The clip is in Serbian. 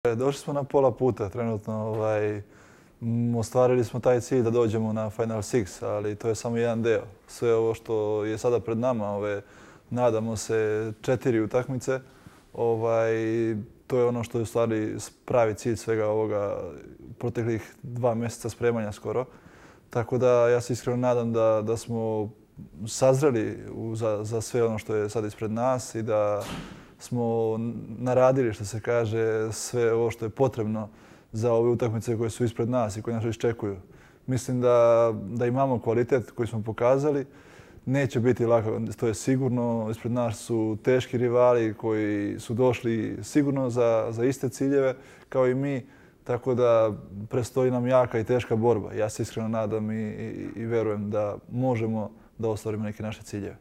Došli smo na pola puta trenutno. Ostvarili smo taj cilj da dođemo na Final Six, ali to je samo jedan deo. Sve ovo što je sada pred nama, nadamo se 4 utakmice, to je ono što je u stvari pravi cilj svega ovoga proteklih 2 mjeseca spremanja skoro. Tako da ja se iskreno nadam da smo sazreli za sve ono što je sad ispred nas i da smo naradili, što se kaže, sve ovo što je potrebno za ove utakmice koje su ispred nas i koje nas iščekuju. Mislim da imamo kvalitet koji smo pokazali. Neće biti lako, to je sigurno. Ispred nas su teški rivali koji su došli sigurno za iste ciljeve kao i mi. Tako da predstoji nam jaka i teška borba. Ja se iskreno nadam i verujem da možemo da ostvarimo neke naše ciljeve.